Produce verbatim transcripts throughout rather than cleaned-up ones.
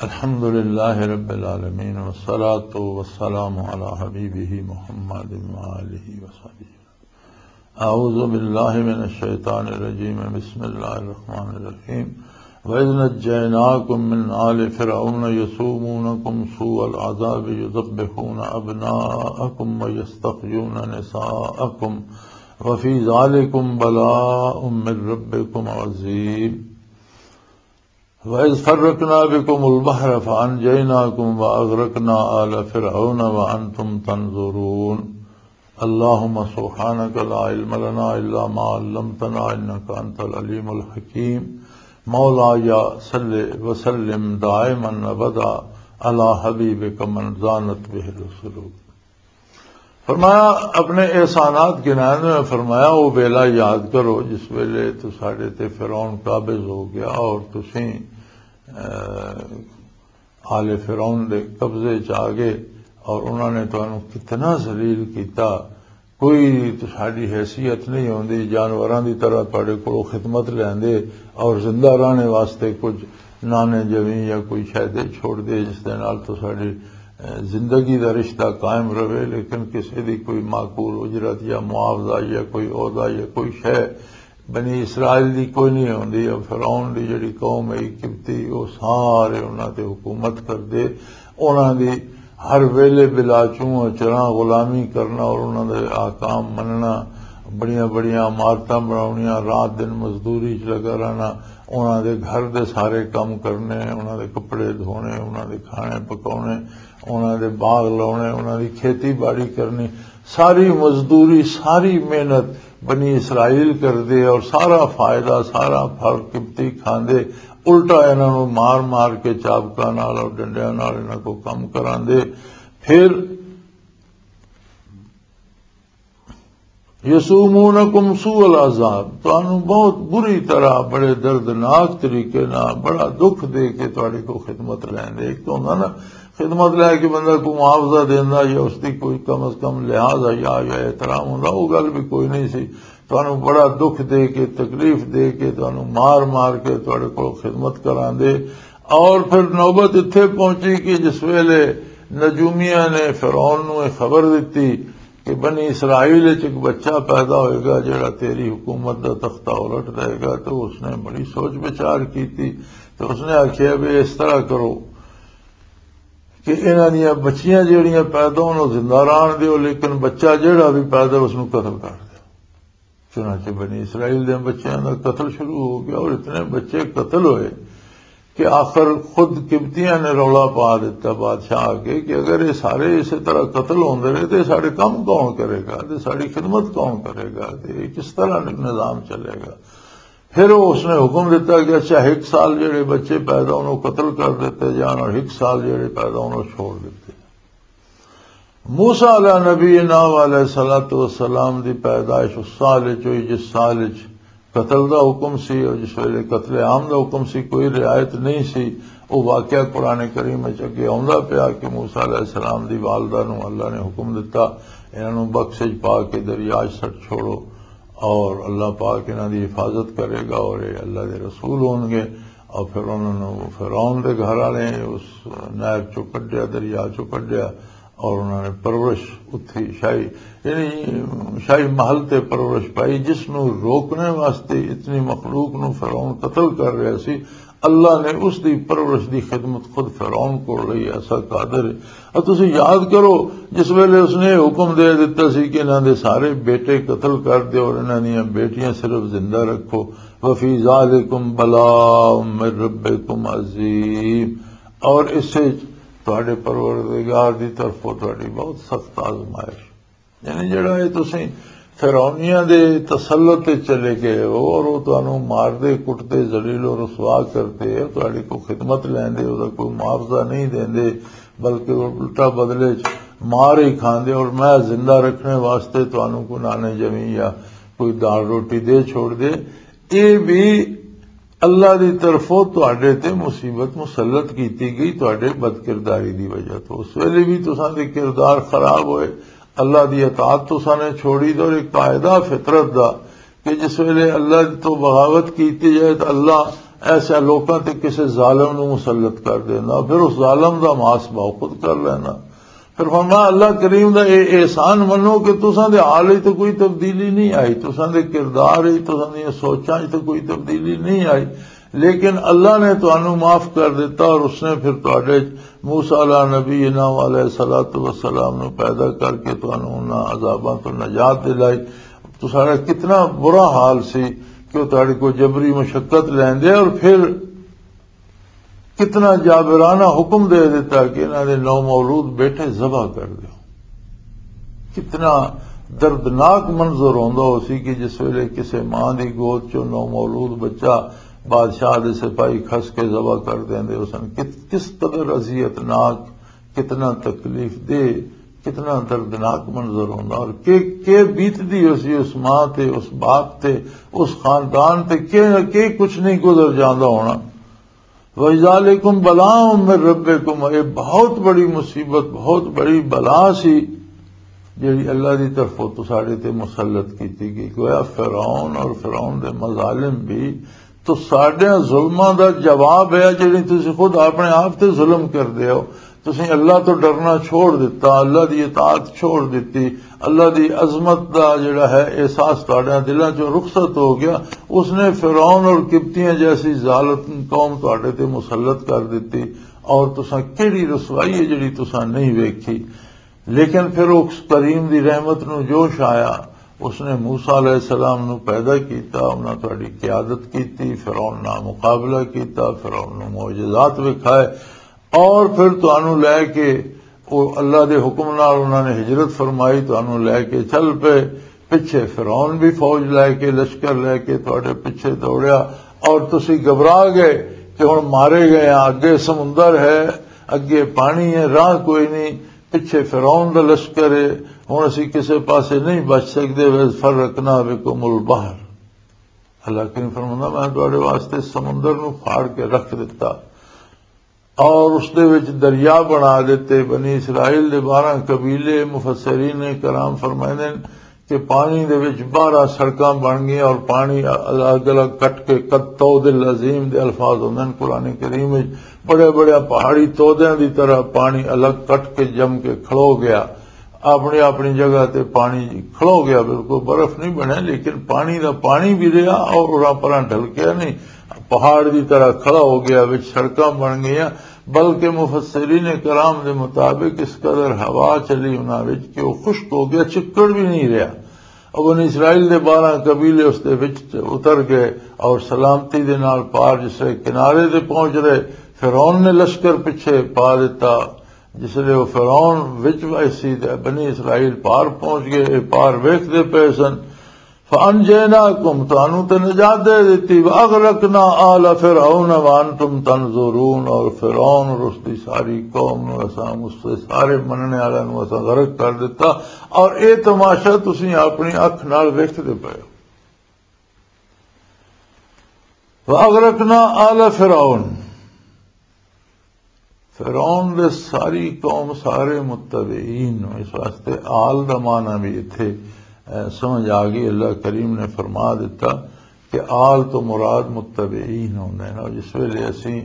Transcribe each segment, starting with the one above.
الحمد لله رب العالمين، والصلاة والسلام على حبيبه محمد وآله وصحبه. أعوذ بالله من الشيطان الرجيم. بسم الله الرحمن الرحيم. وإذ نجيناكم من آل فرعون يسومونكم سوء العذاب يذبحون أبناءكم ويستحيون نساءكم وفي ذلكم بلاء من ربكم عظيم. وَإِذْ فَرَّقْنَا بِكُمُ الْبَحْرَ فَأَنْجَيْنَاكُمْ وَأَغْرَقْنَا آلَ فِرْعَوْنَ وَأَنْتُمْ تَنْظُرُونَ. اللَّهُمَّ سُبْحَانَكَ لَا عِلْمَ لَنَا إِلَّا مَا عَلَّمْتَنَا إِنَّكَ أَنْتَ الْعَلِيمُ الْحَكِيمُ. مولاي صل وسلم دائمًا أبدًا على حبيبك من زانت به السلوك. فرمایا، اپنے احسانات گنائے ہوئے، فرمایا، وہ ویلا یاد کرو جس ویلے تو ساڈے تے فرعون قابض ہو گیا اور تسیں، اے، آل فرعون دے قبضے چ آ گئے اور انہوں نے تانوں کتنا ذلیل کیتا۔ کوئی تساڈی حیثیت نہیں ہوندی، جانوراں دی طرح تہاڈے کولوں خدمت لیندے اور زندہ رہنے واسطے کچھ نانے جویں یا کوئی شے دے چھوڑ دے، جس دے نال تساڈی، اے، زندگی دا رشتہ قائم رہے، لیکن کسے دی کوئی معقول اجرت یا معاوضہ یا کوئی عہدہ یا کوئی شے بنی اسرائیل دی کوئی نہیں ہوندی۔ اور فرعون دی جڑی قوم ہے قبطی، وہ سارے انہاں تے حکومت کردے۔ انہاں دی ہر ویلے بلا چوں چراں غلامی کرنا اور انہاں دے احکام مننا، بڑیاں بڑیاں عمارتاں بناونیاں، رات دن مزدوری چ لگا رہنا، انہاں دے گھر دے سارے کم کرنے، انہاں دے کپڑے دھونے، انہاں دے کھانے پکاونے، انہاں دے باغ لاونے، انہاں دی کھیتی باڑی کرنی، ساری مزدوری، ساری محنت بنی اسرائیل کردے اور سارا فائدہ، سارا پھل قبطی کھاندے، الٹا انہاں نوں مار مار کے چابکاں نال اور ڈنڈیاں نال انہاں کو کم کراندے۔ پھر یسومونکم سوء العذاب، تانوں بہت بری طرح، بڑے دردناک طریقے نال، بڑا دکھ دے کے تہاڈے کو خدمت لیندے۔ ایک تو ہوندا نا، خدمت لے کے بندہ کو معاوضہ دیندا یا اس دی کوئی کم از کم لحاظ حیا یا احترام ہوندا، وہ گل بھی کوئی نہیں سی۔ تانوں بڑا دکھ دے کے، تکلیف دے کے، تانوں مار مار کے تہاڈے کو خدمت کراندے۔ اور پھر نوبت اتھے پہنچی کہ جس ویلے نجومیاں نے فرعون نوں یہ خبر دتی کہ بنی اسرائیل وچ ایک بچہ پیدا ہوئے گا جڑا تیری حکومت دا تختہ الٹ دے گا، تو اس نے بڑی سوچ بچار کیتی۔ تو اس نے آکھیا بھی اس طرح کرو کہ انہاں دیاں بچیاں جڑیاں پیدا ہون، او زندہ رہن دیو، لیکن بچہ جڑا بھی پیدا اس نوں قتل کر دیو۔ چنانچہ بنی اسرائیل دے بچیاں دا قتل شروع ہو گیا اور اتنے بچے قتل ہوئے کہ آخر خود قبطیاں نے رولا پا دیتا بادشاہ آگے کہ اگر یہ سارے اسی طرح قتل ہوندے رہے تو یہ ساڈے کم کون کرے گا، تے ساڈی خدمت کون کرے گا، تے یہ کس طرح نظام چلے گا؟ پھر وہ اس نے حکم دیتا کہ اچھا، ایک سال جڑے بچے پیدا انہوں قتل کر دیتے جان اور ایک سال جڑے پیدا انہوں چھوڑ دیتے۔ موسیٰ علیہ نبی ناو علیہ الصلوۃ والسلام دی پیدائش اس سال وچ ہوئی جس سال وچ قتل دا حکم سی اور جس ویلے قتل عام دا حکم سی، کوئی رعایت نہیں سی۔ وہ واقعہ قرآن کریم وچ اگے آوندا پیا کہ موسیٰ علیہ السلام دی والدہ نو اللہ نے حکم دتا، انہاں نو بکس وچ پا کے دریا وچ سٹ چھوڑو، اور اللہ پاک انہاں دی حفاظت کرے گا اور یہ اللہ دے رسول ہون گے۔ اور پھر انہاں نو فرعون دے گھر والے اس نہر چوں کڈیا، دریا چوں کڈیا، اور انہاں نے پرورش اتھی شاہی، یعنی شاہی محل تے پرورش پائی، جس نو روکنے واسطے اتنی مخلوق نو فرعون قتل کر رہا سی، اللہ نے اس دی پرورش دی خدمت خود فرعون کو لئی ایسا قادر ہے۔ اور تسی یاد کرو، جس ویلے اس نے حکم دے دیتا سی کہ انہاں دے سارے بیٹے قتل کر دیو اور انہاں دیاں بیٹیاں صرف زندہ رکھو، وفی ذالکم بلاء من ربکم عظیم، اور اس سے تہاڈے پروردگار دی طرفوں تہاڈی بہت سخت آزمائش۔ یعنی جڑا یہ تسی فرعونیاں دے تسلط تے چلے گئے ہو اور وہ تانوں مار دے، کٹ دے، ذلیل و رسوا کر دے، تہاڈی کو خدمت لیندے، وہ کوئی معاوضہ نہیں دیندے، بلکہ وہ الٹا بدلے چ مار ہی کھاندے اور میں زندہ رکھنے واسطے تانوں کو نانے جمی یا کوئی دال روٹی دے چھوڑ دے۔ یہ بھی اللہ دی طرفوں تہاڈے تے مصیبت مسلط کیتی گئی تہاڈے بدکرداری دی وجہ تو۔ اس ویلے بھی تساں دے کردار خراب ہوئے، اللہ دی اطاعت تساں نے چھوڑی۔ تے اور ایک قاعدہ فطرت دا کہ جس ویلے اللہ تو بغاوت کیتی جائے تو اللہ ایسے لوکاں تے کسے ظالم نو مسلط کر دینا، پھر اس ظالم دا ماس باؤ خود کر لینا۔ پھر فرمایا، اللہ کریم دا اے احسان منو کہ تساں دے حال وچ تے کوئی تبدیلی نہیں آئی، تساں دے کردار وچ، تساں دیاں سوچاں وچ تے کوئی تبدیلی نہیں آئی، لیکن اللہ نے تانوں معاف کر دیتا اور اس نے پھر تہاڈے موسیٰ علیہ نبینا علیہ الصلوۃ والسلام نو پیدا کر کے تانوں انہاں عذاباں تو نجات دلائی۔ تو سارا کتنا برا حال سی کہ وہ تہاڈے کو جبری مشقت لیندے اور پھر کتنا جابرانہ حکم دے دیتا کہ انہاں دے نو مولود بیٹھے ذبح کر دیو۔ کتنا دردناک منظر ہوندا ہو سی کہ جس ویلے کسے ماں دی گود چوں نو مولود بچہ بادشاہ دے سپاہی کھس کے ذبح کر دیندے ہو سن۔ کت-، کس قدر اذیت ناک، کتنا تکلیف دہ، کتنا دردناک منظر ہوندا اور کہ، کہ بیت دی ہو سی اس ماں تے، اس باپ تے، اس خاندان تے، کہ، کہ کچھ نہیں گزر جاندا ہونا۔ وَذَٰلِكُمْ بَلَاءٌ مِّن رَّبِّكُمْ، اے بہت بڑی مصیبت، بہت بڑی بلا سی جڑی اللہ دی طرفوں تو ساڈے تے مسلط کیتی گئی۔ گویا فرعون اور فرعون دے مظالم بھی تو ساڈے ظلماں دا جواب ہے، جڑی تسی خود اپنے آپ تے ظلم کر دے ہو۔ تسی اللہ تو ڈرنا چھوڑ دیتا، اللہ دی اطاعت چھوڑ دیتی، اللہ دی عظمت دا جڑا ہے احساس تہاڈیاں دلاں چوں رخصت ہو گیا۔ اس نے فرعون اور قبطیاں جیسی ظالم قوم تہاڈے تے مسلط کر دتی، اور تساں کیڑی رسوائی ہے جڑی تساں نہیں ویکھی۔ لیکن پھر اس کریم دی رحمت نو جوش آیا، اس نے موسیٰ علیہ السلام نو پیدا کیتا، انہاں تہاڈی قیادت کیتی، فرعون نال مقابلہ کیتا، فرعون نو معجزات وکھائے، اور پھر تانوں لے کے، او اللہ دے حکم نال انہاں نے ہجرت فرمائی، تانوں لے کے چل پے۔ پچھے فرعون بھی فوج لے کے، لشکر لے کے تہاڈے پچھے دوڑیا، اور تسی گھبرا گئے کہ ہن مارے گئے ہاں، اگے سمندر ہے، اگے پانی ہے، راہ کوئی نہیں، پچھے فرعون دا لشکر ہے، ہن اسی کسے پاسے نہیں بچ سکدے۔ وَإِذْ فَرَّقْنَا بِكُمُ الْبَحْرَ، اللہ کریم فرماندا، میں تہاڈے واسطے سمندر نو پھاڑ کے رکھ دتا۔ اور اس دے وچ دریا بنا دتے۔ بنی اسرائیل دے بارہ قبیلے، مفسرین کرام فرمائندے نے کہ پانی دے وچ بارہ سڑکاں بن گئیاں اور پانی الگ الگ کٹ کے قد طود العظیم دے الفاظ ہوندے نے قرآن کریم وچ، بڑے بڑے پہاڑی تودیاں دی طرح پانی الگ کٹ کے جم کے کھلو گیا۔ اپنی اپنی جگہ تے پانی کھلو گیا، بالکل برف نہیں بنیا، لیکن پانی دا پانی بھی رہیا اور اُراں پراں ڈھلکیا نہیں، پہاڑ دی طرح کھڑا ہو گیا، وچ سڑکاں بن گئیاں۔ بلکہ مفسرین کرام دے مطابق اس قدر ہوا چلی انہاں وچ کہ وہ خشک ہو گیا، چکڑ بھی نہیں رہیا۔ اور بنی اسرائیل دے بارہ قبیلے اس دے وچ اتر گئے اور سلامتی دے نال پار جس طرح کنارے تے پہنچ رہے۔ فرعون نے لشکر پیچھے پا دیتا۔ جس لے وہ فرعون وچ ویسی تے بنی اسرائیل پار پہنچ گئے، اے پار ویکھدے پئے سن۔ فَأَنْجَيْنَاكُمْ، تانوں تے نجات دے دتی۔ وَأَغْرَقْنَا آلَ فِرْعَوْنَ وَأَنْتُمْ تَنْظُرُونَ، اور فرعون اور اس دی ساری قوم نو اساں، اس دے سارے مننے والے نو اساں غرق کر دتا، اور اے تماشا تسی اپنی اکھ نال ویکھدے پئے ہو۔ وَأَغْرَقْنَا آلَ فِرْعَوْنَ، فرعون دے ساری قوم، سارے متبعین نوں۔ اس واسطے آل دا معنی بھی اتھے، اے، سمجھ آ گئی۔ اللہ کریم نے فرما دیتا کہ آل تو مراد متبعین ہوندے نے۔ اور جس ویلے اسی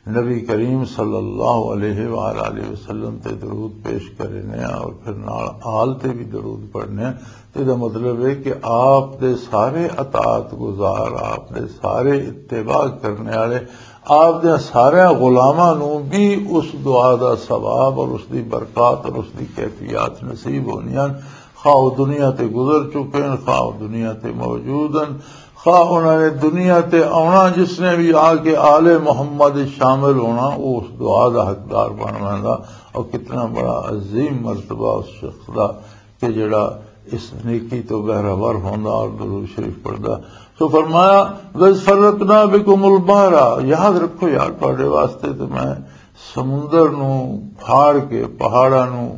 نبی کریم صلی اللہ علیہ وآلہ وسلم تے درود پیش کرنے ہیں اور پھر نال آل تے بھی درود پڑھنے ہیں، تے دا مطلب ہے کہ آپ دے سارے اطاعت گزار، آپ دے سارے اتباع کرنے والے، آپ دے سارے غلاماں نوں بھی اس دعا دا ثواب اور اس دی برکات اور اس دی کیفیات نصیب ہونیاں، خواہ وہ دنیا تے گزر چکے ہیں، خواہ وہ دنیا تے موجود ہیں، خواہ انہاں نے دنیا تے آنا، جس نے بھی آ کے آل محمد شامل ہونا، وہ اس دعا دا حقدار بن ویندا۔ اور کتنا بڑا عظیم مرتبہ اس شخص دا کہ جڑا اس نیکی تو بہرہ ور ہوندا اور درود شریف پڑھدا۔ سو فرمایا، وَإِذْ فَرَّقْنَا بِكُمُ الْبَحْرَ، یاد رکھو یار، تہاڈے واسطے تے میں سمندر نو پھاڑ کے، پہاڑاں نو،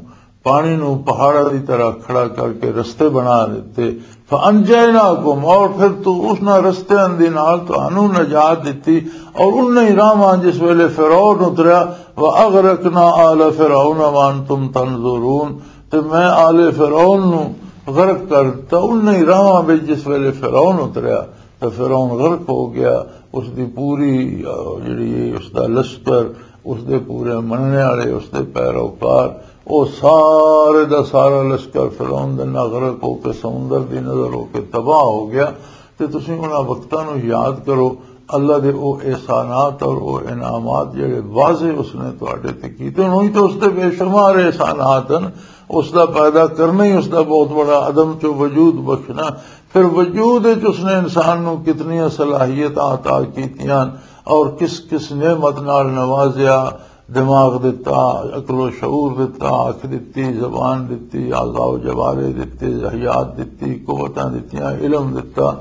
پانی نو پہاڑاں دی طرح کھڑا کر کے رستے بنا دتے۔ فَأَنْجَيْنَاكُمْ، اور پھر تو اس نہ رستیاں دے نال تانوں نجات دتی، اور انہاں ہی راہواں جس ویلے فرعون اتریا، وَأَغْرَقْنَا آلَ فِرْعَوْنَ وَأَنْتُمْ تَنْظُرُونَ، تے میں آل فرعون نو غرق کر دتا انہاں ہی راہواں وچ جس ویلے فرعون اتریا۔ تے فرعون غرق ہو گیا۔ اس دی پوری، آ، جڑی ہے، اس دا لشکر، اس دے پورے مننے والے، اس دے پیروکار، او سارے دا سارا لشکر فرعون دے نال غرق ہو کے، سمندر دی نظر ہو کے تباہ ہو گیا۔ تے تسی انہاں وقتاں نوں یاد کرو، اللہ دے او احسانات اور او انعامات جڑے واضح اس نے تواڈے تے کیتے۔ ہن اوہی تے اس دے بے شمار احسانات ہن۔ اس دا پیدا کرنا ہی اس دا بہت بڑا عدم چوں وجود بخشنا۔ پھر وجود وچ اس نے انسان نوں کتنیاں صلاحیتاں عطا کیتیاں اور کس کس نعمت نال نوازیا، دماغ دتا، عقل و شعور دتا، اکھ دتی، زبان دتی، اعضاء و جوارے دتے، حیات دتی، قوتاں دتیاں، علم دتا،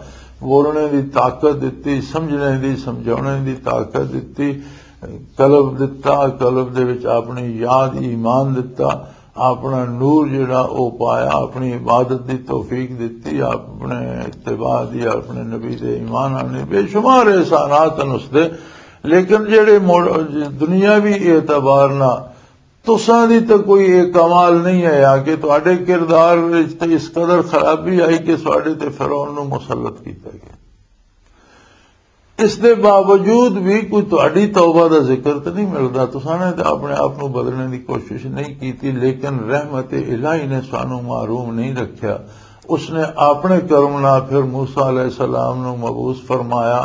بولنے دی طاقت دتی، سمجھنے دی، سمجھانے دی طاقت دتی، قلب دتا، قلب دے وچ اپنی یاد ایمان دتا، اپنا نور جڑا او پایا، اپنی عبادت دی توفیق دتی، اپنے اتباع دی، اپنے نبی دے ایمان آنے، بے شمار احسانات ہیں اس دے۔ لیکن جڑے مڑ-، دنیاوی اعتبار نہ، تساں دی تے کوئی یہ کمال نہیں ہے کہ تہاڈے کردار وچ تے اس قدر خرابی آئی کہ تہاڈے تے فرعون نو مسلط کیتا گیا۔ اس دے باوجود بھی کوئی تہاڈی توبہ دا ذکر تے نہیں ملدا۔ تساں نے تے اپنے آپ نو بدلنے دی کوشش نہیں کیتی، لیکن رحمت الہی نے سانو محروم نہیں رکھیا۔ اس نے اپنے کرم نال پھر موسیٰ علیہ السلام نو مبعوث فرمایا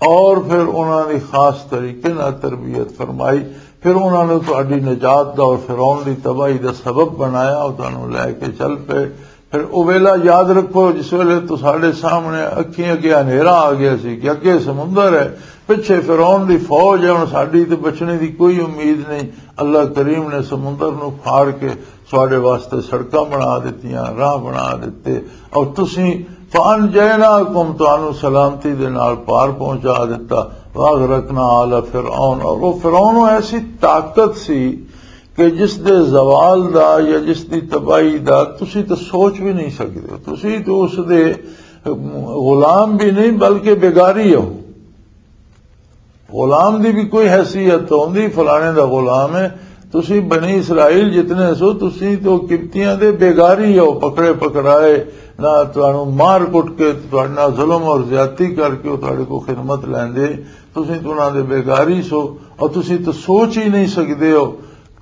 اور پھر انہاں دی خاص طریقے نال تربیت فرمائی۔ پھر انہاں نے تہاڈی نجات دا اور فرعون دی تباہی دا سبب بنایا، او تانوں لے کے چل پئے۔ پھر او ویلا یاد رکھو جس ویلے تو ساڈے سامنے اکھیں اگے ہنیرا آ گیا سی کہ اگے سمندر ہے، پچھے فرعون دی فوج ہے، ہن ساڈی تے بچنے دی کوئی امید نہیں۔ اللہ کریم نے سمندر نو پھاڑ کے ساڈے واسطے سڑکاں بنا دتیاں، راہ بنا دتے، اور تسیں، فَأَنْجَيْنَاكُمْ، تانوں سلامتی دے نال پار پہنچا دتا۔ وَأَغْرَقْنَا آلَ فِرْعَوْنَ، اور وہ فرعون ایسی طاقت سی کہ جس دے زوال دا یا جس دی تباہی دا تسی تے سوچ بھی نہیں سکدے۔ تسی تو اس دے غلام بھی نہیں بلکہ بیگاری ہو۔ غلام دی بھی کوئی حیثیت تو ہوندی، فلانے دا غلام ہے۔ تسی بنی اسرائیل جتنے سو، تسی تو قبطیاں دے بیگاری ہو، پکڑے پکڑائے، نہ تانوں مار کٹ کے، تہاڈے نال ظلم اور زیادتی کر کے او تہاڈے کو خدمت لیندے، تسی تو انہاں دے بیگاری سو، اور تسی تو سوچ ہی نہیں سکدے ہو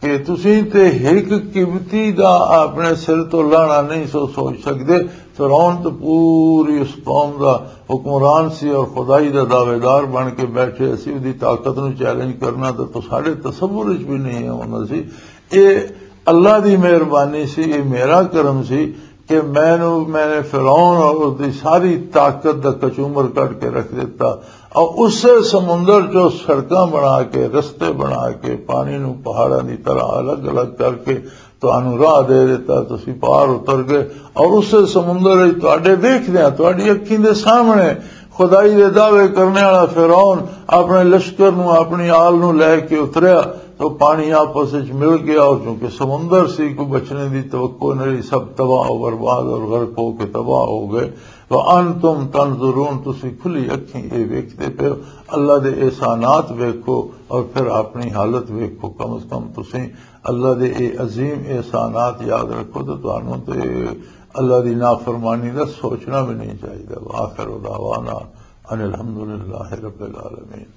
کہ تسی تے ایک قبطی دا اپنے سر تو لانا نہیں سو سوچ سکدے۔ فرعون تو پوری اس قوم دا حکمران سی اور خدائی دا دعویدار بن کے بیٹھے سی، اودی طاقت نو چیلنج کرنا تے تو ساڈے تصور وچ بھی نہیں آوندا سی۔ اے اللہ دی مہربانی سی، اے میرا کرم سی کہ مینوں، میں نے فرعون اور اس دی ساری طاقت دا کچومر کڈ کے رکھ دتا اور اسے سمندر چوں سڑکاں بنا کے، رستے بنا کے، پانی نو پہاڑاں دی طرح الگ الگ کر کے تانوں راہ دے دیتا، تسی پار اتر گئے۔ اور اسے سمندر وچ تہاڈے ویکھدیاں، تہاڈی اکھیں دے سامنے خدائی دے دعوے کرنے والا فرعون اپنے لشکر نو، اپنی آل نو لے کے اتریا تو پانی آپس وچ مل گیا، اور چونکہ سمندر سی، کوئی بچنے دی توقع نہیں، سب تباہ و برباد اور غرق ہو کے تباہ ہو گئے۔ وَأَنْتُمْ تَنْظُرُونَ، تسی کھلی اکھیں اے ویکھدے پئے ہو۔ اللہ دے احسانات ویکھو اور پھر اپنی حالت ویکھو۔ کم از کم تسی اللہ دے اے عظیم احسانات یاد رکھو تے تانوں تے اللہ دی نافرمانی دا سوچنا بھی نہیں چاہیدا۔ وآخر دعوانا ان الحمدللہ رب العالمین۔